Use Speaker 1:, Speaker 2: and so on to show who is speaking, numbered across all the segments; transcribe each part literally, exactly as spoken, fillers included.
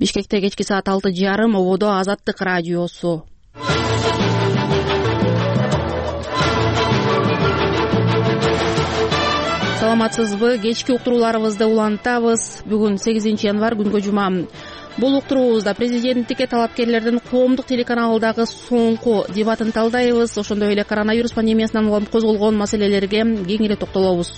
Speaker 1: Бишкекте кечки саат алты жарым ободо Азаттык радиосу. Саламатсызбы? Кечки уктурууларыбызды улантабыз. Бүгүн сегизинчи январь, күнгө жума. Бул уктуруубузда президенттикке талапкерлердин коомдук телеканалдагы соңку дебатын талдайбыз. Ошондой эле коронавирус пандемиясынан улам козголгон маселелерге кеңири токтолобуз.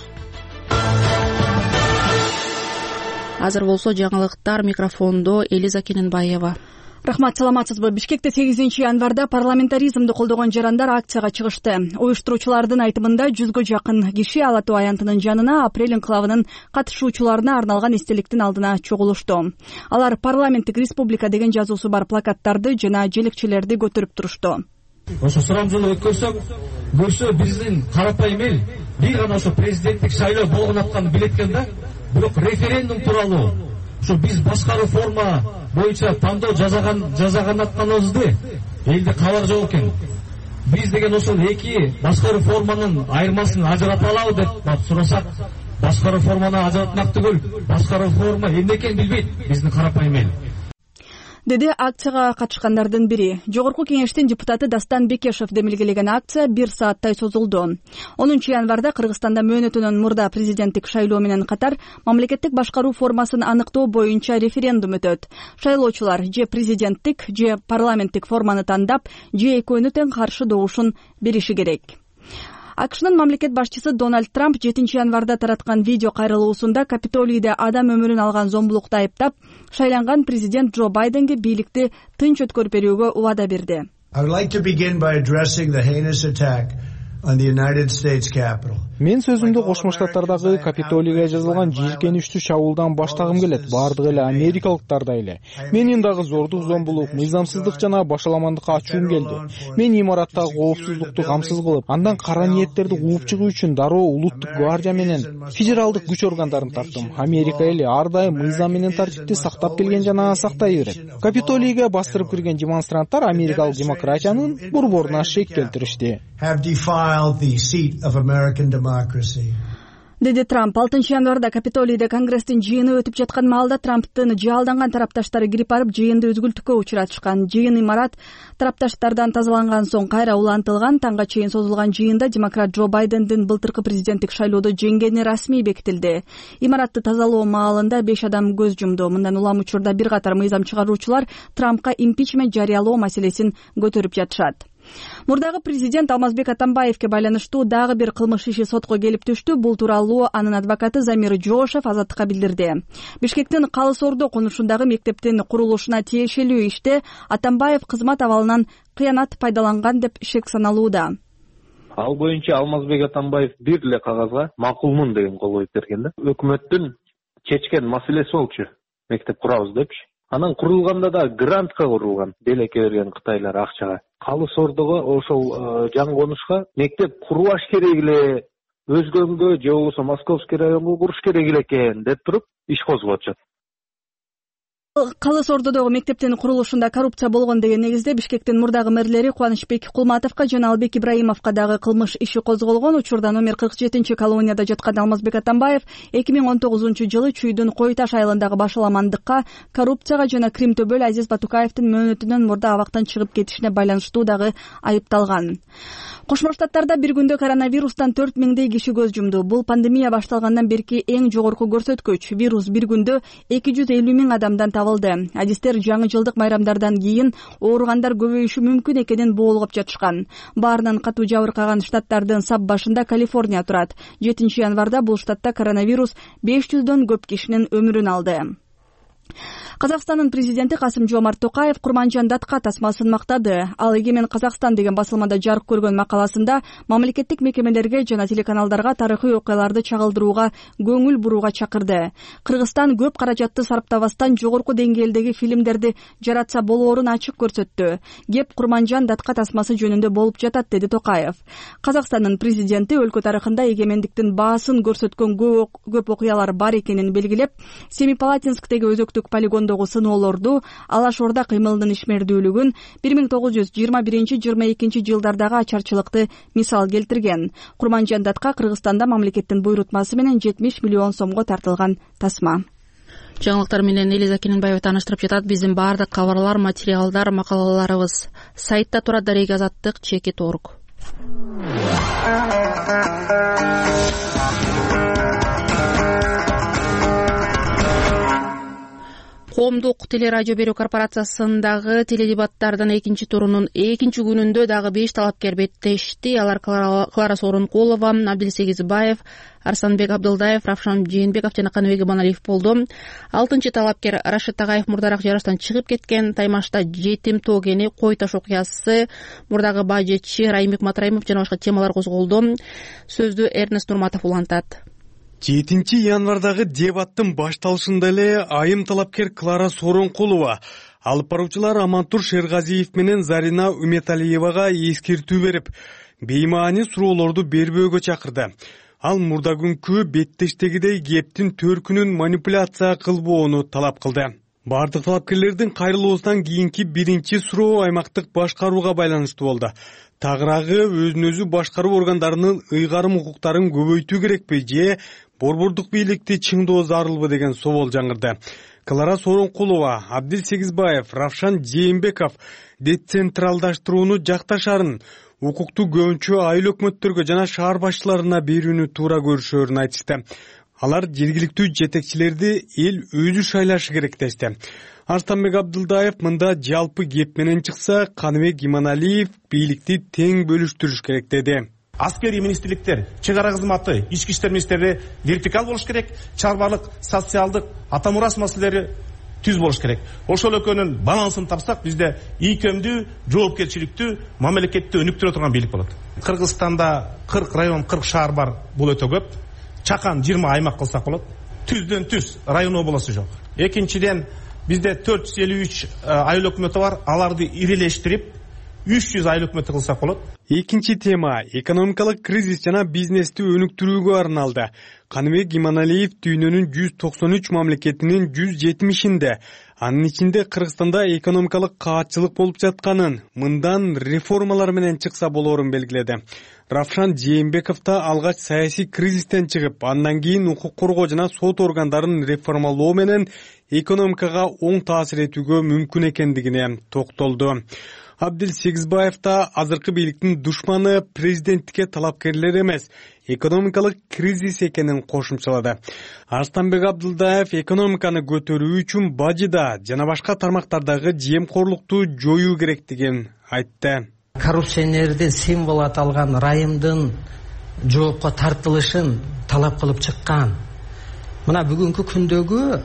Speaker 1: Азыр болсо жаңылыктар, микрофондо Элиза Кененбаева.
Speaker 2: Рахмат, саламатсызбы? Бишкекте сегизинчи январда парламентаризмди колдогон жарандар акцияга чыгышты. Уюштуруучулардын айтымында жүзгө жакын киши Ала Тоо аянтынын жанына апрель инкылабынын катышуучуларына арналган эстеликтин алдына чогулушту. Алар парламенттик республика деген жазуусу бар плакаттарды жана желекчелерди көтөрүп турушту.
Speaker 3: Ошо сурамжылык өткөрсөк, көрсө биздин карапайым эл бир гана ошо президенттик шайлоо болгон атканын билет экен да. Бирок референдум тууралуу ошо биз башкаруу форма боюнча тандоо жасаган жасаган атканыбызды элде кабар жок экен. Биз деген ошол эки башкаруу форманын айырмасын ажырата алабы деп сурасак, башкаруу форманы ажыратмак түгүл, башкаруу форма эмне экенин билбейт биздин карапайым эл,
Speaker 2: деди акцияга катышкандардын бири. Жогорку кеңештин депутаты Дастан Бекешев демилгелеген акция бир сааттай созулду. онунчу январда Кыргызстанда мөөнөтүнөн мурда президенттик шайлоо менен катар мамлекеттик башкаруу формасын аныктоо боюнча референдум өтөт. Шайлоочулар же президенттик, же парламенттик форманы тандап, же экөөнү тең каршы добушун бериши керек. АКШнын мамлекет башчысы Дональд Трамп жетинчи январда тараткан видео кайрылуусунда Капитолийде адам өмүрүн алган зомбулукту айыптап, шайланган президент Джо Байденге бийликти тынч өткөрүп берүүгө убада берди.
Speaker 4: Мен сөзүмдү Кошмо Штаттардагы Капитолийге жазылган жийиркеничтүү чабуулдан баштагым келет. Бардыгы эле америкалыктардай эле. Менин дагы зордук, зомбулук, мыйзамсыздык жана башаламандыкка ачуум келди. Мен имараттагы коопсуздукту камсыз кылып, андан кара ниеттерди кууп чыгуу үчүн дароо улуттук гвардия менен федералдык күч органдарын тарттым. Америка эли ар дайым мыйзам менен тартипти сактап келген жана сактай берет. Капитолийге бастырып кирген демонстранттар америкалык демократиянын борборуна шек келтиришти,
Speaker 2: деди Трамп. алтынчы январда Капитолийде Конгресстин жыйыны өтүп жаткан маалда Трамптын жаалданган тарапташтары кирип барып жыйынды үзгүлтүккө учуратышкан. Жыйын имарат тарапташтардан тазаланган соң кайра улантылган. Таңга чейин созулган жыйында демократ Джо Байдендин былтыркы президенттик шайлоодо жеңгени расмий бекитилди. Имаратты тазалоо маалында беш адам көз жумду. Мындан улам учурда бир катар мыйзам чыгаруучулар Трампка импичмент жарыялоо маселесин көтөрүп жатышат. Мурдагы президент Алмазбек Атамбаевке байланыштуу дагы бир кылмыш иши сотко келип түштү. Бул тууралуу анын адвокаты Замир Жоошев Азаттыкка билдирди. Бишкектин Калыс Ордо конушундагы мектептин курулушуна тиешелүү иште Атамбаев кызмат абалынан кыянат пайдаланган деп шек саналууда.
Speaker 5: Ал боюнча Алмазбек Атамбаев бир эле кагазга макулмун деген кол коюп берген да. Өкмөттүн чечкен маселеси болчу, мектеп курабыз депчи. Анан курулганда да грантка курулган, белекке берген кытайлар акчага. Калыс Ордого ошол жаңы конушка мектеп курбаш керек эле, өзгөнгө же болбосо Московский районго куруш керек эле экен деп туруп иш козгоп атышат.
Speaker 2: Калыс Ордодогу мектептин курулушунда коррупция болгон деген негизде Бишкектин мурдагы мэрлери Кубанычбек Кулматовго жана Албек Ибраимовго дагы кылмыш иши козголгон. Учурда номер кырк жетинчи колонияда жаткан Алмазбек Атамбаев эки миң он тогузунчу жылы Чүйдүн Кой Таш айылындагы башаламандыкка, коррупцияга жана Крим Төбөл Азиз Батукаевдин мөөнөтүнөн мурда абактан чыгып кетишине байланыштуу дагы айыпталган. Кошмо Штаттарда бир күндө коронавирустан төрт миңдей киши көз жумду. Бул пандемия башталгандан берки эң жогорку көрсөткүч. Вирус бир күндө эки жүз элүү миң адамдан табылды. Адистер жаңы жылдык майрамдардан кийин ооругандар көбөйүшү мүмкүн экенин боолгоп жатышкан. Баарынан катуу жабыркаган штаттардын сап башында Калифорния турат. жетинчи январда бул штатта коронавирус беш жүздөн көп кишинин өмүрүн алды. Казакстандын президенти Касым-Жомарт Токаев Курманжан датка тасмасын мактады. Ал Эгемен Казакстан деген басылмада жарык көргөн макаласында мамлекеттик мекемелерге жана телеканалдарга тарыхый окуяларды чагылдырууга көңүл бурууга чакырды. Кыргызстан көп каражатты сарптабастан жогорку деңгээлдеги фильмдерди жаратса болоорун ачык көрсөттү. Кеп Курманжан датка тасмасы жөнүндө болуп жатат, деди Токаев. Казакстандын президенти өлкө тарыхында эгемендиктин баасын көрсөткөн көп окуялар бар экенин белгилеп, Семипалатинсктеги өзөктүк полигон сыноолорду, Алаш Орда кыймылынын ишмердүүлүгүн, бир миң тогуз жүз жыйырма биринчи жыйырма экинчи жылдардагы ачарчылыкты мисал келтирген. Курманжан датка Кыргызстанда мамлекеттин буйрутмасы менен жетимиш миллион сомго тартылган тасма.
Speaker 1: жаңылыктар менен Элиза Кененбаева тааныштырып жатат. Биздин баардык кабарлар, материалдар, макалаларыбыз сайтта турат. Дарек Азаттык чеки торг. Коомдук телерадио берүү корпорациясындагы теледебаттардын экинчи турунун экинчи күнүндө дагы беш талапкер беттешти. Алар Клара Сооронкулова, Абдил Сегизбаев, Арсанбек Абдылдаев, Равшан Жээнбеков жана Каныбек Иманалиев болду. Алтынчы талапкер Рашид Тагаев мурдараак жарыштан чыгып кеткен. Таймашта жетим тоо кени, кой таш окуясы, мурдагы бажечи Райымбек Матраимов жана башка темалар козголду. Сөздү Эрнест Нурматов улантат.
Speaker 6: жетинчи январдагы дебаттын башталышында эле айым талапкер Клара Сооронкулова алып баруучулар Амантур Шергазиев менен Зарина Үметалиевага эскертүү берип, беймаани суроолорду бербөөгө чакырды. Ал мурда күнкү беттештегидей кептин төркүнүн манипуляция кылбоону талап кылды. Бардык талапкерлердин кайрылуусунан кийинки биринчи суроо аймактык башкарууга байланыштуу болду. Тагыраагы өзүн өзү башкаруу органдарынын ыйгарым укуктарын көбөйтүү керекпи же борбордук бийликти чыңдоо зарылбы деген соол жаңырды. Клара Сооронкулова, Абдил Сегизбаев, Равшан Жээнбеков децентралдаштырууну жакташарын, укукту көбүнчө айыл өкмөттөргө жана шаар башчыларына берүүнү туура көрүшөөрүн айтышты. Алар жергиликтүү жетекчилерди эл өзү шайлашы керек дешти. Арстанбек Абдылдаев мында жалпы кеп менен чыкса, Каныбек Иманалиев бийликти тең бөлүштүрүш керек деди.
Speaker 7: Аскерий министрликтер, чек ара кызматы, ички иштер министрлиги вертикал болуш керек, чарбалык, социалдык, ата мурас маселелери түз болуш керек. Ошол экөөнүн балансын тапсак, бизде ийкемдүү, жоопкерчиликтүү, мамлекетти өнүктүрө турган бийлик болот. Кыргызстанда кырк район, кырк шаар бар, бул өтө көп. Чакан жыйырма аймак кылсак болот. Түздөн түз районо болосу жок. Экинчиден, бизде төрт жүз элүү үч айыл өкмөтү бар, аларды ирелештирип үч жүз айыл өкмөтү кылсак болот.
Speaker 6: Экинчи тема экономикалык кризис жана бизнести өнүктүрүүгө арналды. Каныбек Иманалиев дүйнөнүн жүз токсон үч мамлекетинин жүз жетимишинде, анын ичинде Кыргызстанда экономикалык каатчылык болуп жатканын, мындан реформалар менен чыкса болоорун белгиледи. Равшан Жээнбеков да алгач саясий кризистен чыгып, андан кийин укук коргоо жана сот органдарын реформалоо менен экономикага оң таасир этүүгө мүмкүн экендигине токтолду. Абдил Сегизбаев да азыркы бийликтин душманы президенттикке талапкерлер эмес, экономикалык кризис экенин кошумчалады. Арстанбек Абдылдаев экономиканы көтөрүү үчүн бажыда жана башка тармактардагы жемкорлукту жоюу керектигин айтты.
Speaker 8: Коррупционердин символ аталган Райымдын жоопко тартылышын талап кылып чыккан. Мына бүгүнкү күндөгү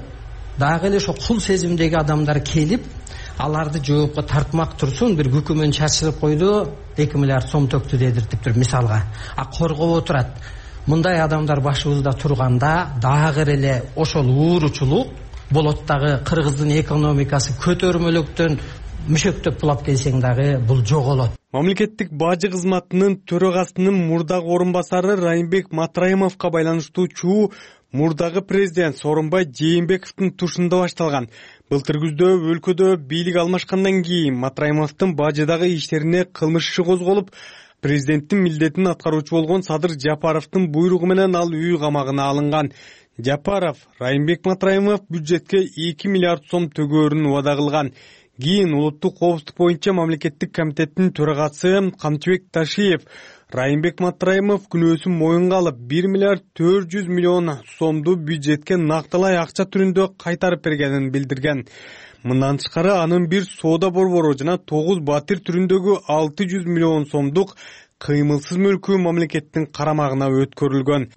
Speaker 8: дагы эле ошо кул сезимдеги адамдар келип, аларды жоопко тартмак турсун, бир күкүмөн чачырып койду, эки миллиард сом төктү дедиртиптир мисалга. А коргоп отурат. Мындай адамдар башыбызда турганда дагы эле ошол ууручулук болот дагы, Кыргыздын экономикасы көтөрмөлүктөн мүшөктөп булап келсең дагы бул жоголот.
Speaker 6: Мамлекеттик бажы кызматынын төрагасынын мурдагы орун басары Райымбек Матраимовго байланыштуу чуу мурдагы президент Сооронбай Жээнбековдун тушунда башталган. Былтыр күздө өлкөдө бийлик алмашкандан кийин Матраимовдун бажыдагы иштерине кылмыш иши козголуп, президенттин милдетин аткаруучу болгон Садыр Жапаровдун буйругу менен ал үй камагына алынган. Жапаров Райымбек Матраимов бюджетке эки миллиард сом төгөөрүн убада кылган. Кийин улуттук коопсуздук боюнча мамлекеттик комитеттин төрагасы Камчыбек Ташиев Райымбек Матраимов күнөөсүн моюнга алып бир миллиард төрт жүз миллион сомду бюджетке накталай акча түрүндө кайтарып бергенин билдирген. Мындан тышкары анын бир соода борбору жана тогуз батир түрүндөгү алты жүз миллион сомдук кыймылсыз мүлкү мамлекеттин карамагына өткөрүлгөн.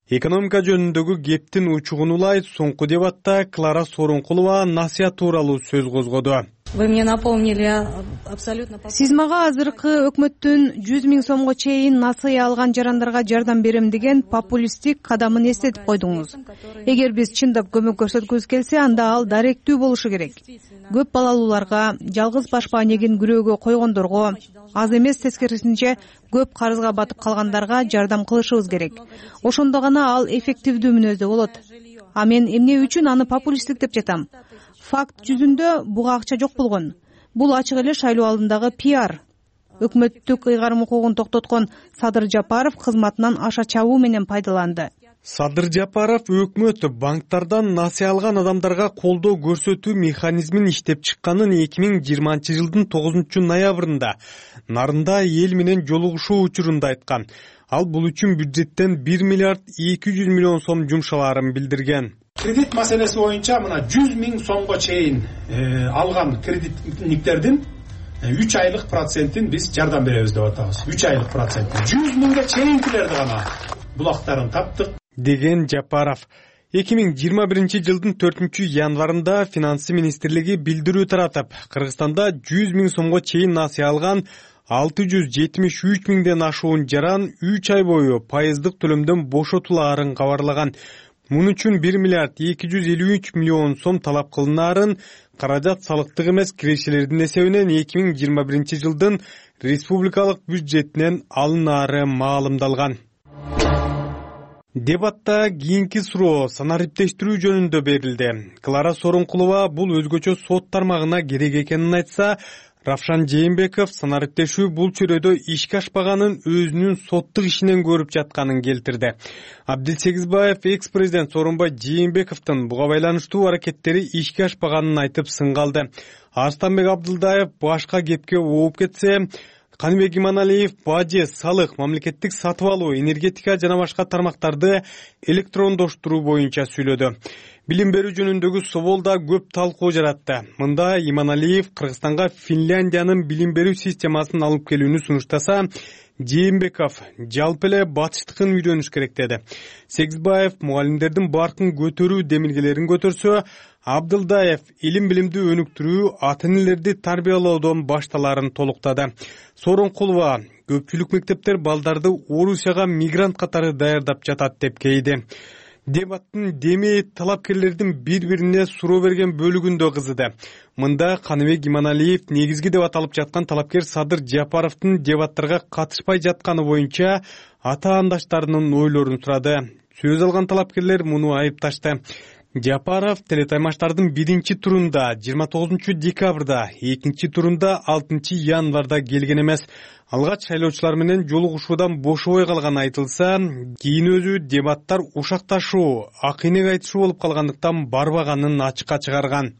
Speaker 6: Экономика жөнүндөгү кептин учугун улай соңку дебатта Клара Сооронкулова насыят тууралуу сөз козгоду.
Speaker 9: Вы мне напомнили абсолютно.
Speaker 10: Сиз мага азыркы өкмөттүн жүз миң сомго чейин насыя алган жарандарга жардам берем деген популисттик кадамын эстетип койдуңуз. Эгер биз чындап көмөк көрсөткүбүз келсе, анда ал даректүү болушу керек. Көп балалууларга, жалгыз баш маанегин күрөөгө койгондорго, аз эмес тескерисинче көп карызга батып калгандарга жардам кылышыбыз керек. Ошондо гана ал эффективдүү мүнөздө болот. А мен эмне үчүн аны популисттик деп жатам? Факт жүзүндө буга акча жок болгон. Бул ачык эле шайлоо алдындагы пиар. Өкмөттүк ыйгарым укугун токтоткон Садыр Жапаров кызматынан аша чабуу менен пайдаланды.
Speaker 6: Садыр Жапаров өкмөт банктардан насыя алган адамдарга колдоо көрсөтүү механизмин иштеп чыкканын эки миң жыйырманчы жылдын тогузунчу ноябрында Нарында эл менен жолугушуу учурунда айткан. Ал бул үчүн бюджеттен бир миллиард эки жүз миллион сом жумшалаарын билдирген.
Speaker 11: Кредит маселеси боюнча мына жүз миң сомго чейин алган кредитниктердин үч айлык процентин биз жардам беребиз деп атабыз. үч айлык процент. жүз миңге чейинкилерди гана булактарын таптык
Speaker 6: деген Жапаров. эки миң жыйырма биринчи жылдын төртүнчү январында Финансы министрлиги билдирүү таратып, Кыргызстанда жүз миң сомго чейин насыя алган алты жүз жетимиш үч миңден ашуун жаран үч ай бою пайыздык төлөмдөн бошотулаарын кабарлаган. Мун үчүн бир миллиард эки жүз элүү үч миллион сом талап кылынаарын, каражат салыктык эмес кирешелердин эсебинен эки миң жыйырма биринчи жылдын республикалык бюджетинен алынаары маалымдалган. Дебатта кийинки суроо санариптештирүү жөнүндө берилди. Клара Сооронкулова бул өзгөчө сот тармагына керек экенин айтса, Равшан Жээнбеков санариптешүү бул чөйрөдө ишке ашпаганын өзүнүн соттук ишинен көрүп жатканын келтирди. Абдил Сегизбаев экс-президент Сооронбай Жээнбековдун буга байланыштуу аракеттери ишке ашпаганын айтып сынгалды. Арстанбек Абдылдаев башка кепке ооп кетсе, Каныбек Иманалиев бажы, салык, мамлекеттик сатып алуу, энергетика жана башка тармактарды электрондоштуруу боюнча сүйлөдү. Билим берүү жөнүндөгү собол да көп талкуу жаратты. Мында Иманалиев Кыргызстанга Финляндиянын билим берүү системасын алып келүүнү сунуштаса, Жээнбеков жалпы эле батыштыкын үйрөнүш керек деди. Сегизбаев мугалимдердин баркын көтөрүү демилгелерин көтөрсө, Абдылдаев илим билимди өнүктүрүү, ата-энелерди тарбиялоодон башталарын толуктады. Сооронкулова көпчүлүк мектептер балдарды Орусияга мигрант катары даярдап жатат деп кейди. Дебаттын деми талапкерлердин бири-бирине суроо берген бөлүгүндө кызыды. Мында Каныбек Иманалиев негизги деп аталып жаткан талапкер Садыр Жапаровдун дебаттарга катышпай жатканы боюнча ата-андаштарынын ойлорун сурады. Сөз алган талапкерлер муну айыпташты. Жапаров телетаймаштардын биринчи турунда жыйырма тогузунчу декабрда, экинчи турунда алтынчы январда келген эмес. Алгач шайлоочулар менен жолугушуудан бошобой калганы айтылса, кийин өзү дебаттар ушакташуу, акыйнек айтышуу болуп калгандыктан барбаганын ачыкка чыгарган.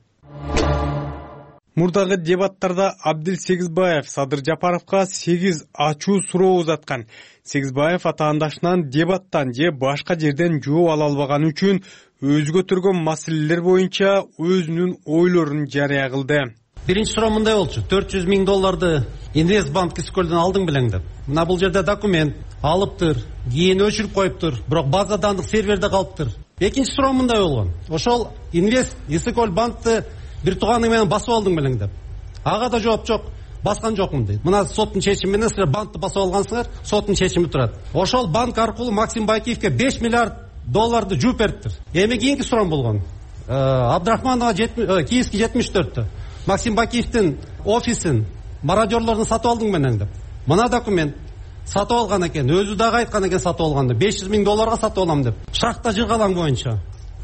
Speaker 6: Мурдагы дебаттарда Абдил Сегизбаев Садыр Жапаровго сегиз ачуу суроо узаткан. Сегизбаев ата-андашынан дебаттан же башка жерден жооп ала албаганы үчүн өзү көтөргөн маселелер боюнча өзүнүн ойлорун жарыя кылды.
Speaker 12: Биринчи суроо мындай болчу: төрт жүз миң долларды Инвестбанк Искөлдөн алдың белең деп. Мына бул жерде документ алыптыр, кийин өчүрүп коюптур, бирок база данных серверде калыптыр. Экинчи суроо мындай болгон: ошол Инвест Искөл банкты бир тууганың менен басып алдың белең деп. Ага да жооп жок, баскан жокмун дейт. Мына соттун чечими менен силер банкты басып алгансыңар, соттун чечими турат. Ошол банк аркылуу Максим Бакиевке беш миллиард долларды жууп бериптир. Эми кийинки суроом болгон: Абдрахманова Киевский жетимиш төрттө Максим Бакиевдин офисин мародерлордун сатып алдың менен деп. Мына документ сатып алган экен, өзү дагы айткан экен сатып алганды, беш жүз миң долларга сатып алам деп. Шахта жыргалаң боюнча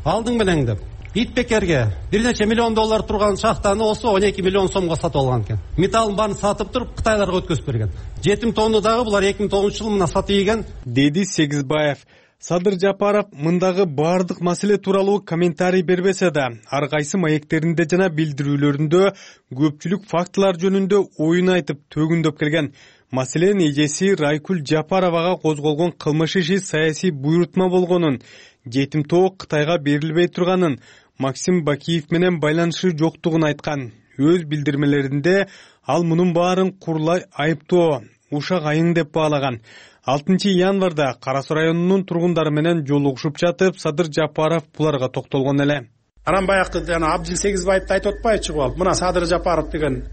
Speaker 12: алдың менен деп. Итбекерге бир нече миллион доллар турган шахтаны осы он эки миллион сомго сатып алган экен. Металлын баарын сатып туруп Кытайларга өткөзүп берген. жетим тонну дагы булар эки миң тогузунчу жылы мына сатып ийген,
Speaker 6: деди Сегизбаев. Садыр Жапаров мындагы баардык маселе тууралуу комментарий бербесе да, ар кайсы маектеринде жана билдирүүлөрүндө көпчүлүк фактылар жөнүндө оюн айтып төгүндөп келген. Маселен, эжеси Райкүл Жапаровага козголгон кылмыш иши саясий буйрутма болгонун, жетим тоо Кытайга берилбей турганын, Максим Бакиев менен байланышы жоктугун айткан. Өз билдирмелеринде ал мунун баарын курулай айыптоо, ушак айың деп баалаган. алтынчы январда Кара Суу районунун тургундары менен жолугушуп жатып, Садыр Жапаров буларга токтолгон эле.
Speaker 11: Анан баягы жана Абдил Сегизбаевди айтып атпайчы болуп, мына Садыр Жапаров деген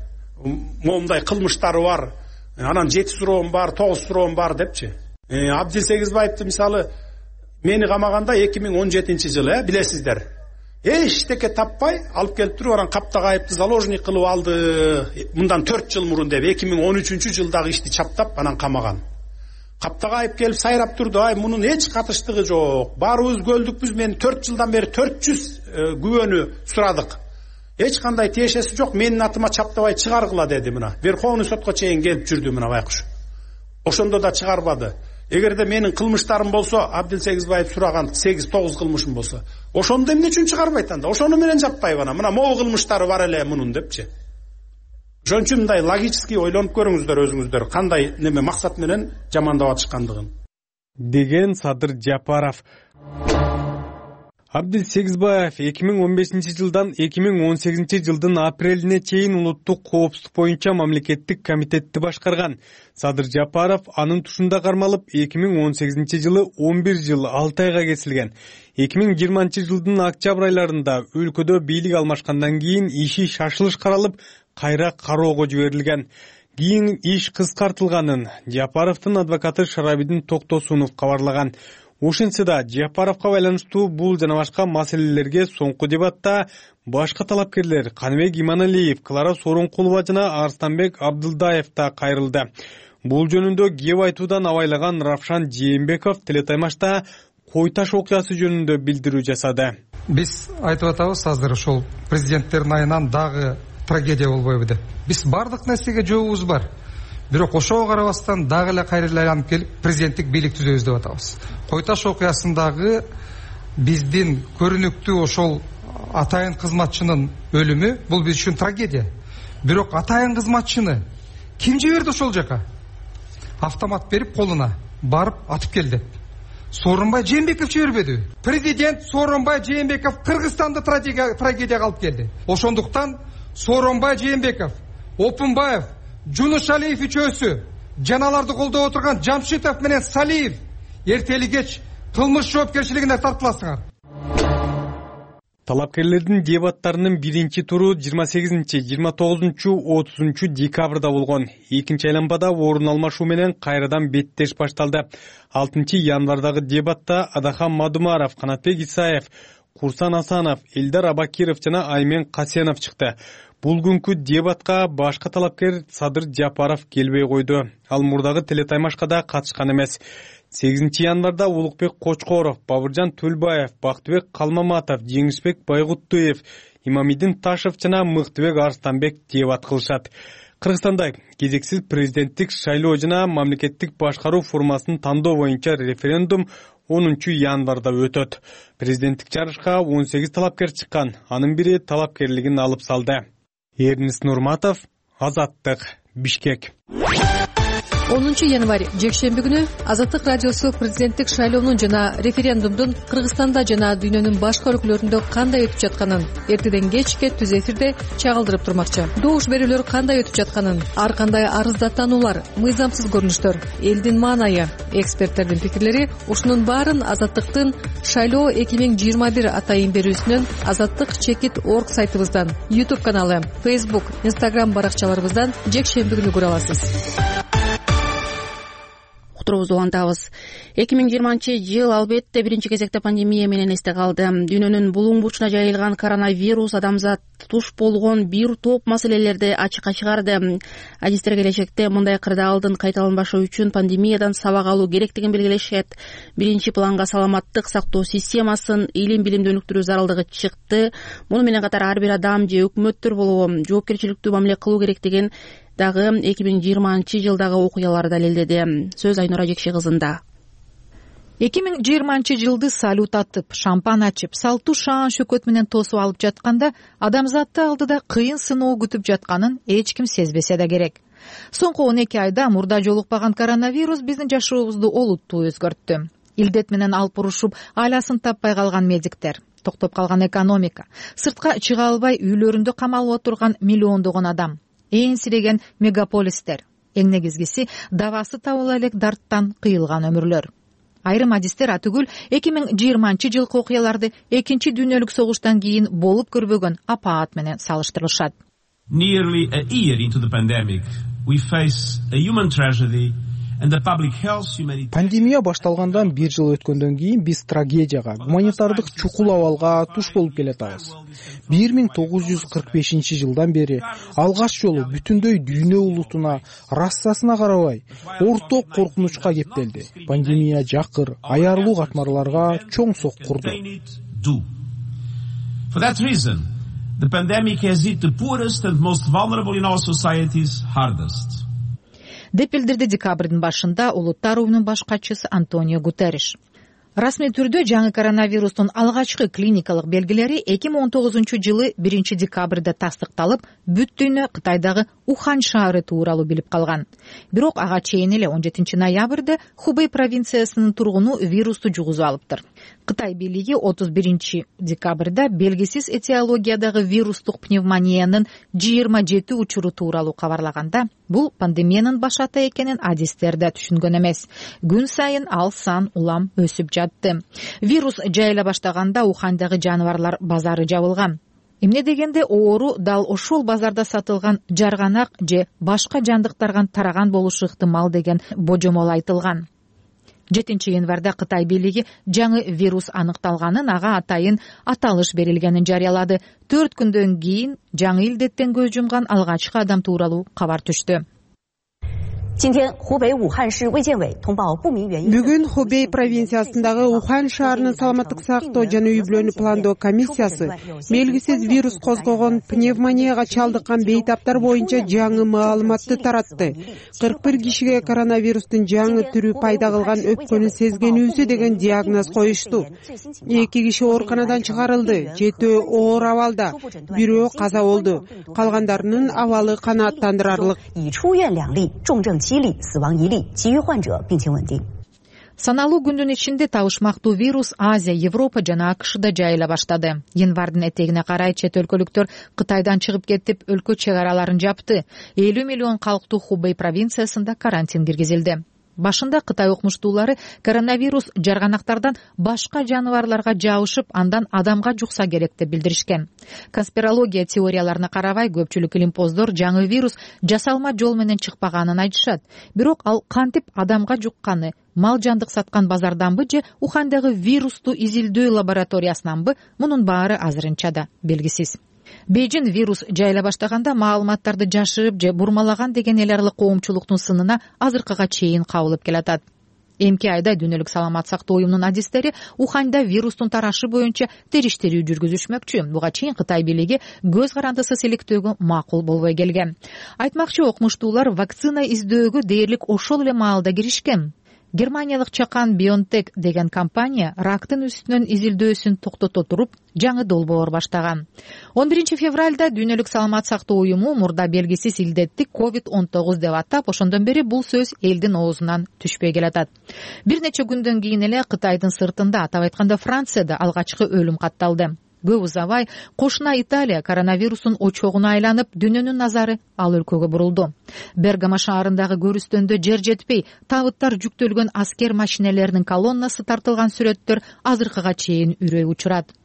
Speaker 11: момундай кылмыштары бар, анан жети суроом бар, тогуз суроом бар депчи. Абдил Сегизбаевди мисалы мени камаганда эки миң он жетинчи жылы, э, билесиздер. Эчтеке таппай алып келип туруп, анан каптага айыпты заложник кылып алды. Мындан төрт жыл мурун деп эки миң он үчүнчү жылдагы ишти чаптап анан камаган. Каптага айып келип сайрап турду, ай мунун эч катыштыгы жок. Баарыбыз көлдүкпүз, мен төрт жылдан бери төрт жүз күбөнү сурадык. Эч кандай тиешеси жок, менин атыма чаптабай чыгаргыла деди мына. Верховный сотко чейин келип жүрдү мына байкуш. Ошондо да чыгарбады. эгерде менин кылмыштарым болсо, Абдил Сегизбаев сураган сегиз тогуз кылмышым болсо, ошону эмне үчүн чыгарбайт анда? Ошону менен жаппайбы ана? Мына могу кылмыштары бар эле мунун депчи. Ошон үчүн мындай логически ойлонуп көрүңүздөр өзүңүздөр, кандай неме максат менен жамандап атышкандыгын,
Speaker 6: деген Садыр Жапаров. Абдил Сегизбаев эки миң он бешинчи жылдан эки миң он сегизинчи жылдын апрелине чейин улуттук коопсуздук боюнча мамлекеттик комитетти башкарган. Садыр Жапаров анын тушунда кармалып, эки миң он сегизинчи жылы он бир жыл алты айга кесилген. эки миң жыйырманчы жылдын октябрь айларында өлкөдө бийлик алмашкандан кийин иши шашылыш каралып, кайра кароого жиберилген. Кийин иш кыскартылганын Жапаровдун адвокаты Шарабидин Токтосунов кабарлаган. Ошентсе да Жапаровго байланыштуу бул жана башка маселелерге соңку дебатта башка талапкерлер Каныбек Иманалиев, Клара Сооронкулова жана Арстанбек Абдылдаев да кайрылды. Бул жөнүндө кеп айтуудан абайлаган Равшан Жээнбеков телетаймашта Кой таш окуясы жөнүндө билдирүү жасады.
Speaker 13: Биз айтып атабыз азыр ошол президенттердин айынан дагы трагедия болбойбу деп. Биз бардык нерсеге жообубуз бар. Бирок ошого карабастан дагы эле кайра айланып келип президенттик бийлик түзөбүз деп атабыз. Кой таш окуясындагы биздин көрүнүктүү ошол атайын кызматчынын өлүмү бул биз үчүн трагедия. Бирок атайын кызматчыны ким жиберди ошол жака? Автомат берип колуна барып атып кел деп. Сооронбай Жээнбеков жибербеди. Президент Сооронбай Жээнбеков Кыргызстанды трагедияга алып келди. Ошондуктан Сооронбай Жээнбеков, Опунбаев, Жунушалиев үчөөсү жаналарды колдоп отурган Жамшитов менен Салиев эртели кеч кылмыш жоопкерчилигине тартыласыңар.
Speaker 6: Талапкерлердин дебаттарынын биринчи туру жыйырма сегизинчи, жыйырма тогузунчу, отузунчу декабрда болгон. Экинчи айланбада орун алмашуу менен кайрадан беттеш башталды. алтынчы январдагы дебатта Адахан Мадумаров, Канатбек Исаев, Курсан Асанов, Элдар Абакиров жана Аймен Касенов чыкты. Бул күнкү дебатка башка талапкер Садыр Жапаров келбей койду. Ал мурдагы телетаймашка да катышкан эмес. сегизинчи январда Улукбек Кочкоров, Бабыржан Төлбаев, Бактыбек Калмаматов, Жеңишбек Байгуттуев, Имамидин Ташев жана Мыктыбек Арстанбек дебат кылышат. Кыргызстанда кезексиз президенттик шайлоо жана мамлекеттик башкаруу формасын тандоо боюнча референдум онунчу январда өтөт. Президенттик жарышка он сегиз талапкер чыккан. Анын бири талапкерлигин алып салды. Эрнис Нурматов, Азаттык, Бишкек.
Speaker 14: онунчу январь жекшемби күнү Азаттык радиосу президенттик шайлоонун жана референдумдун Кыргызстанда жана дүйнөнүн башка өлкөлөрүндө кандай өтүп жатканын эртеден кечке түз эфирде чагылдырып турмакчы. Добуш берүүлөр кандай өтүп жатканын, ар кандай арыздаттануулар, мыйзамсыз көрүнүштөр, элдин маанайы, эксперттердин пикирлери, ушунун баарын Азаттыктын шайлоо эки миң жыйырма бир атайын берүүсүнөн Азаттык чекит орг сайтыбыздан, YouTube каналы, Facebook, Instagram баракчаларыбыздан жекшемби күнү көрө аласыз.
Speaker 1: Уктуруубузду улантабыз. эки миң жыйырманчы жыл албетте биринчи кезекте пандемия менен эсте калды. Дүйнөнүн булуң бурчуна жайылган коронавирус адамзат туш болгон бир топ маселелерди ачыкка чыгарды. Адистер келечекте мындай кырдаалдын кайталанбашы үчүн пандемиядан сабак алуу керектигин белгилешет. Биринчи планга саламаттык сактоо системасын, илим билимди өнүктүрүү зарылдыгы чыкты. Муну менен катар ар бир адам же өкмөттөр болобу жоопкерчиликтүү мамиле кылуу керектигин дагы эки миң жыйырманчы жылдагы окуялар далилдеди. Сөз Айнура Жекши кызында.
Speaker 15: эки миң жыйырманчы жылды салют атып, шампан ачып, салтуу шаан шөкөт менен тосуп алып жатканда адамзатты алдыда кыйын сыноо күтүп жатканын эч ким сезбесе да керек. Соңку он эки айда мурда жолукпаган коронавирус биздин жашообузду олуттуу өзгөрттү. Илдет менен алып урушуп, айласын таппай калган медиктер, токтоп калган экономика, сыртка чыга албай үйлөрүндө камалып отурган миллиондогон адам, эң сиреген мегаполистер, эң негизгиси дабасы табыла элек дарттан кыйылган өмүрлөр. Айрым адистер атүгүл эки миң жыйырманчы жылкы окуяларды экинчи дүйнөлүк согуштан кийин болуп көрбөгөн апаат менен салыштырышат.
Speaker 16: Nearly a year into the pandemic, we face a human tragedy.
Speaker 4: Пандемия башталгандан бир жыл өткөндөн кийин биз трагедияга, гуманитардык чукул абалга туш болуп келатабыз. бир миң тогуз жүз кырк бешинчи жылдан бери алгач жолу бүтүндөй дүйнө улутуна, расасына карабай, орток коркунучка кептелди. Пандемия жакыр, аярлуу катмарларга чоң сок курду.
Speaker 16: For that reason, the pandemic has hit the poorest and most vulnerable in our societies hardest.
Speaker 15: деп билдирди декабрдын башында Улуттар уюмунун баш катчысы Антонио Гутерриш. Расмий түрдө жаңы коронавирустун алгачкы клиникалык белгилери эки миң он тогузунчу жылы биринчи декабрда тастыкталып, бүт дүйнө Кытайдагы Ухан шаары тууралуу билип калган. Бирок ага чейин эле он жетинчи ноябрда Хубэй провинциясынын тургуну вирусту жугузуп алыптыр. Кытай бийлиги отуз биринчи декабрда белгисиз этиологиядагы вирустук пневмониянын жыйырма жети учуру тууралуу кабарлаганда, бул пандемиянын башата экенин адистер да түшүнгөн эмес. Күн сайын ал сан улам өсүп жатты. Вирус жайыла баштаганда Ухандагы жаныбарлар базары жабылган. Эмне дегенде оору дал ошол базарда сатылган жарганак же башка жандыктарга тараган болушу ыктымал деген божомол айтылган. жетинчи январда Кытай бийлиги жаңы вирус аныкталганын, ага атайын аталыш берилгенин жарыялады. Төрт күндөн кийин жаңы илдеттен көз жумган алгачкы адам тууралуу кабар түштү.
Speaker 17: Бүгүн Хубэй провинциясындагы Ухан шаарынын саламаттык сактоо жана үй бүлөнү пландоо комиссиясы белгисиз вирус козгогон пневмонияга чалдыккан бейтаптар боюнча жаңы маалыматты таратты. кырк бир кишиге коронавирустун жаңы түрү пайда кылган өпкөнү сезгенүүсү деген диагноз коюшту. Эки киши ооруканадан чыгарылды, жетөө оор абалда, бирөө каза болду. Калгандарынын абалы канааттандырарлык.
Speaker 15: Саналуу күндүн ичинде табышмактуу вирус Азия, Европа жана АКШда жайыла баштады. Январдын этегине карай чет өлкөлүктөр Кытайдан чыгып кетип, өлкө чек араларын жапты. элүү миллион калктуу Хубэй провинциясында карантин киргизилди. Башында Кытай окумуштуулары коронавирус жарганактардан башка жаныбарларга жабышып, андан адамга жукса керек деп билдиришкен. Конспирология теорияларына карабай, көпчүлүк илимпоздор жаңы вирус жасалма жол менен чыкпаганын айтышат. Бирок ал кантип адамга жукканы, мал жандык саткан базарданбы же Ухандагы вирусту изилдөө лабораториясынанбы, мунун баары азырынча да белгисиз. Бейжин вирус жайыла баштаганда маалыматтарды жашырып же бурмалаган деген эл аралык коомчулуктун сынына азыркыга чейин кабылып келатат. Эмки айда Дүйнөлүк саламат сактоо уюмунун адистери Уханда вирустун тарашы боюнча териштирүү жүргүзүшмөкчү. Буга чейин Кытай бийлиги көз карандысыз иликтөөгө макул болбой келген. Айтмакчы, окумуштуулар вакцина издөөгө дээрлик ошол эле маалда киришкен. Германиялык чакан BioNTech деген компания рактын үстүнөн изилдөөсүн токтото туруп, жаңы долбоор баштаган. он биринчи февралда Дүйнөлүк саламат сактоо уюму мурда белгисиз илдетти ковид он тогуз деп атап, ошондон бери бул сөз элдин оозунан түшпөй келатат. Бир нече күндөн кийин эле Кытайдын сыртында, атап айтканда Францияда алгачкы өлүм катталды. Көп узабай кошуна Италия коронавирустун очогуна айланып, дүйнөнүн назары ал өлкөгө бурулду. Бергамо шаарындагы көрүстөндө жер жетпей, табыттар жүктөлгөн аскер машинелеринин колоннасы тартылган сүрөттөр азыркыга чейин үрөй учурат.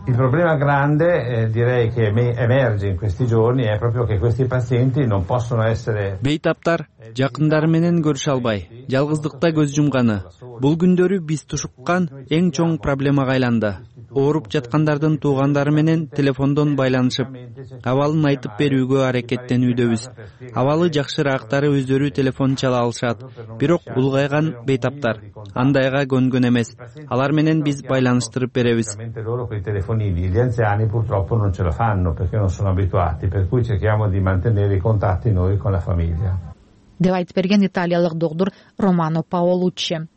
Speaker 18: Il problema grande, eh, direi che emerge in questi giorni è proprio che questi pazienti non possono essere.
Speaker 19: Бейтаптар жакындары менен көрүшө албай, жалгыздыкта көз жумганы. Бул күндөрү биз тушуккан эң чоң проблемага айланды. Ооруп жаткандардын туугандары менен телефондон байланышып, абалын айтып берүүгө аракеттенүүдөбүз. Абалы жакшыраактары өздөрү телефон чала алышат, бирок улгайган бейтаптар андайга көнгөн эмес. Алар менен биз байланыштырып беребиз.
Speaker 18: Gli anziani purtroppo non ce la fanno perché non sono abituati, per cui cerchiamo di mantenere i contatti noi con la famiglia.
Speaker 15: Деп айтып берген италиялык доктор Романо Паолуччи.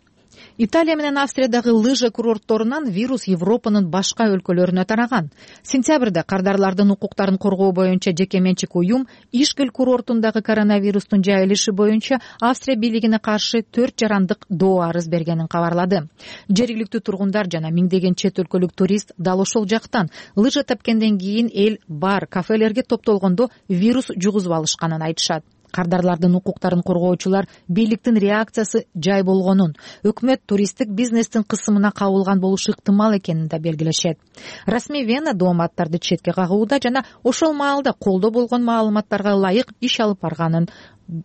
Speaker 15: Италия менен Австриядагы лыжа курортторунан вирус Европанын башка өлкөлөрүнө тараган. Сентябрда кардарлардын укуктарын коргоо боюнча жеке менчик уюм Ишкел курортундагы коронавирустун жайылышы боюнча Австрия бийлигине каршы төрт жарандык доо арыз бергенин кабарлады. Жергиликтүү тургундар жана миңдеген чет өлкөлүк турист дал ошол жактан лыжа тепкенден кийин эл бар кафелерге топтолгондо вирус жугузуп алышканын айтышат. Кардарлардын укуктарын коргоочулар бийликтин реакциясы жай болгонун, өкмөт туристтик бизнестин кысымына кабылган болушу ыктымал экенин да белгилешет. Расмий Вена дооматтарды четке кагууда жана ошол маалда колдо болгон маалыматтарга ылайык иш алып барганын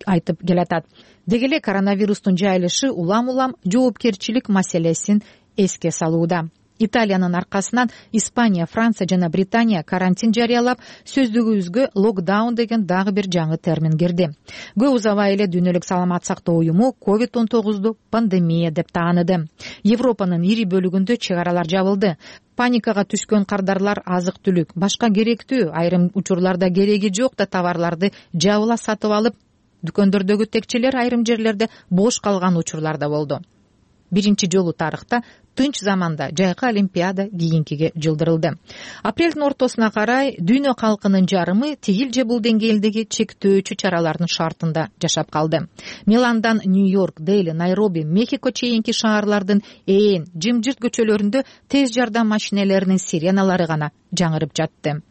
Speaker 15: айтып келатат. Деги эле коронавирустун жайылышы улам-улам жоопкерчилик маселесин эске салууда. Италиянын аркасынан Испания, Франция жана Британия карантин жарыялап, сөздүгүбүзгө локдаун деген дагы бир жаңы термин кирди. Көп узабай эле Дүйнөлүк саламат сактоо уюму ковид он тогузду пандемия деп тааныды. Европанын ири бөлүгүндө чек аралар жабылды. Паникага түшкөн кардарлар азык-түлүк, башка керектүү, айрым учурларда кереги жок да товарларды жабыла сатып алып, дүкөндөрдөгү текчелер айрым жерлерде бош калган учурлар да болду. Биринчи жолу тарыхта тынч заманда жайкы олимпиада кийинкиге жылдырылды. Апрелдин ортосуна карай дүйнө калкынын жарымы тигил же бул деңгээлдеги чектөөчү чаралардын шартында жашап калды. Миландан Нью-Йорк, Дели, Найроби, Мехико чейинки шаарлардын ээн жымжырт көчөлөрүндө тез жардам машинелеринин сиреналары гана жаңырып жатты.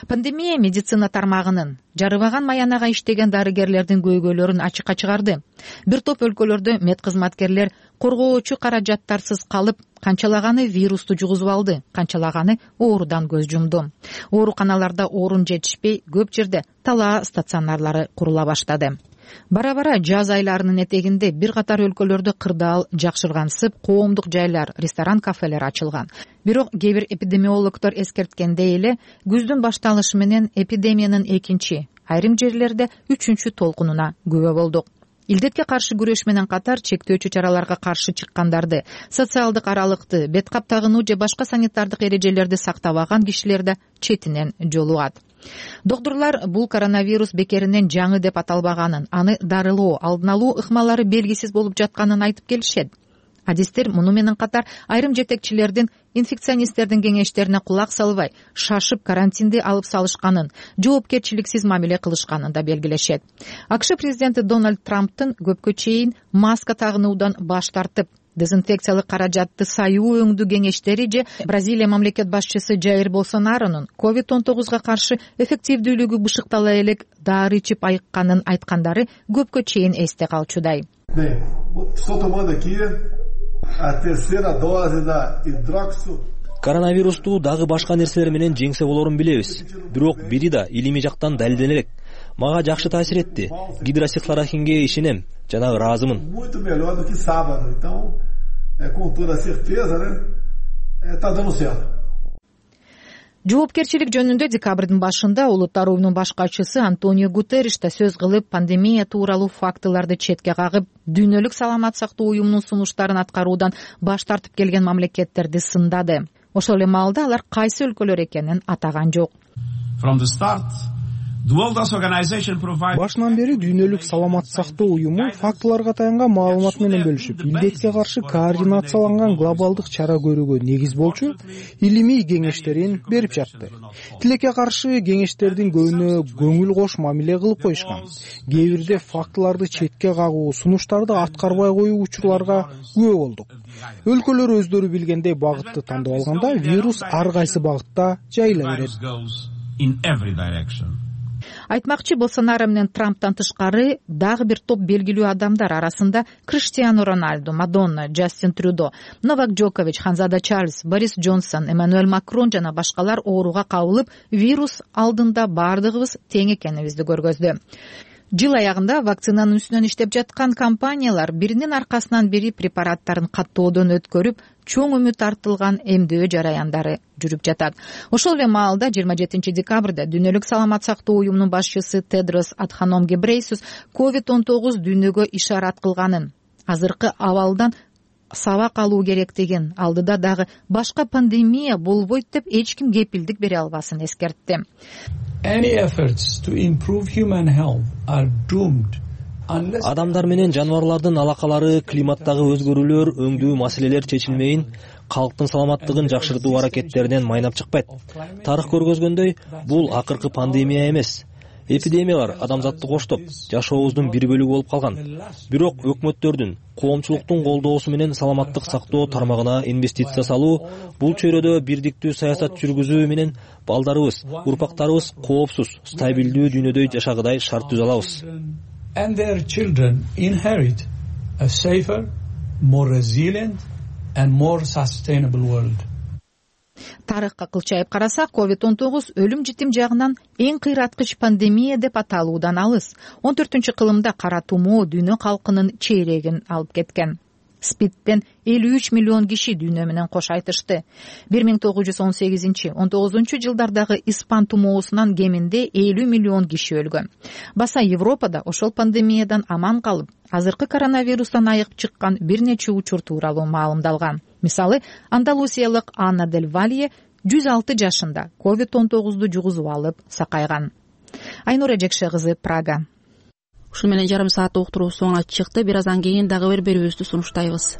Speaker 15: Пандемия медицина тармагынын жарыбаган маянага иштеген дарыгерлердин көйгөйлөрүн ачыкка чыгарды. Бир топ өлкөлөрдө медкызматкерлер коргоочу каражаттарсыз калып, канчалаганы вирусту жугузуп алды, канчалаганы оорудан көз жумду. Ооруканаларда орун жетишпей, көп жерде талаа стационарлары курула баштады. Бара-бара жаз айларынын этегинде бир катар өлкөлөрдө кырдаал жакшыргансып, коомдук жайлар, ресторан, кафелер ачылган. Бирок кээ бир эпидемиологдор эскерткендей эле, күздүн башталышы менен эпидемиянын экинчи, айрым жерлерде үчүнчү толкунуна күбө болдук. Илдетке каршы күрөш менен катар чектөөчү чараларга каршы чыккандарды, социалдык аралыкты, бет кап тагынуу же башка санитардык эрежелерди сактабаган кишилер да четинен жолугат. Доктурлар бул коронавирус бекеринен жаңы деп аталбаганын, аны дарылоо, алдын алуу ыкмалары белгисиз болуп жатканын айтып келишет. Адистер муну менен катар айрым жетекчилердин инфекционисттердин кеңештерине кулак салбай, шашып карантинди алып салышканын, жоопкерчиликсиз мамиле кылышканын да белгилешет. АКШ президенти Дональд Трамптын көпкө чейин маска тагынуудан баш тартып, дезинфекциялык каражатты саюу өңдүү кеңештери же Бразилия мамлекет башчысы Жаир Болсонаронун ковид он тогузга каршы эффективдүүлүгү бышыктала элек дары ичип айыкканын айткандары көпкө чейин эсте калчудай.
Speaker 20: Коронавирусту дагы башка нерселер менен жеңсе болорун билебиз. Бирок бири да илимий жактан далилдене элек. Мага жакшы таасир этти. Гидроксихлорохинге ишенем жана ыраазымын.
Speaker 15: Жоопкерчилик жөнүндө декабрдын башында Улуттар уюмунун баш катчысы Антонио Гутерриш да сөз кылып, пандемия тууралуу фактыларды четке кагып, дүйнөлүк саламат сактоо уюмунун сунуштарын аткаруудан баш тартып келген мамлекеттерди сындады. Ошол эле маалда алар кайсы өлкөлөр экенин атаган жок.
Speaker 4: Башынан бери дүйнөлүк саламат сактоо уюму фактыларга таянган маалымат менен бөлүшүп, илдетке каршы координацияланган глобалдык чара көрүүгө негиз болчу илимий кеңештерин берип жатты. Тилекке каршы кеңештердин көбүнө көңүл кош мамиле кылып коюшкан. Кээ бирде фактыларды четке кагуу, сунуштарды аткарбай коюу учурларга күбө болдук. Өлкөлөр өздөрү билгендей багытты тандап алганда, вирус ар кайсы багытта жайыла берет.
Speaker 15: Айтмакчы, Болсонаро менен Трамптан тышкары дагы бир топ белгилүү адамдар арасында Криштиану Роналду, Мадонна, Джастин Трюдо, Новак Джокович, Ханзада Чарльз, Борис Джонсон, Эммануэль Макрон жана башкалар ооруга кабылып, вирус алдында бардыгыбыз тең экенибизди көргөздү. Жыл аягында вакцинанын үстүнөн иштеп жаткан компаниялар биринин аркасынан бири препараттарын каттоодон өткөрүп, чоң үмүт артылган эмдөө жараяндары жүрүп жатат. Ошол эле маалда жыйырма жетинчи декабрда Дүйнөлүк саламат сактоо уюмунун башчысы Тедрос Адханом Гебрейсус ковид он тогуз дүйнөгө ишарат кылганын, азыркы абалдан сабак алуу керектигин, алдыда дагы башка пандемия болбойт деп эч ким кепилдик бере албасын эскертти.
Speaker 20: Адамдар менен жаныбарлардын алакалары, климаттагы өзгөрүүлөр, өңдүү маселелер чечилмейин, калктын саламаттыгын жакшыртуу аракеттеринен майнап чыкпайт. Тарых көргөзгөндөй, бул акыркы пандемия эмес. Эпидемиялар адамзатты коштоп, жашообуздун бир бөлүгү болуп калган. Бирок өкмөттөрдүн, коомчулуктун колдоосу менен саламаттык сактоо тармагына инвестиция салуу, бул чөйрөдө бирдиктүү саясат жүргүзүү менен балдарыбыз, урпактарыбыз коопсуз, стабилдүү дүйнөдө жашагыдай шарт түзө алабыз.
Speaker 21: And their children inherit a safer, more resilient and more sustainable world.
Speaker 15: Тарыхка кылчайып карасак, ковид он тогуз өлүм житим жагынан эң кыйраткыч пандемия деп аталуудан алыс. он төртүнчү кылымда кара тумоо дүйнө калкынын чейрегин алып кеткен. СПИДтен элүү үч миллион киши дүйнө менен кош айтышты. бир миң тогуз жүз он сегизинчи он тогузунчу жылдардагы испан тумоосунан кеминде элүү миллион киши өлгөн. Баса Европада ошол пандемиядан аман калып, азыркы коронавирустан айыгып чыккан бир нече учур тууралуу маалымдалган. Мисалы, андалусиялык Анна Дель Валье жүз алты жашында ковид он тогузду жугузуп алып сакайган. Айнура Жекше кызы, Прага.
Speaker 1: ушун менен жарым сааттык уктуруу соңуна чыкты. Бир аздан кийин дагы бир берүүбүздү сунуштайбыз.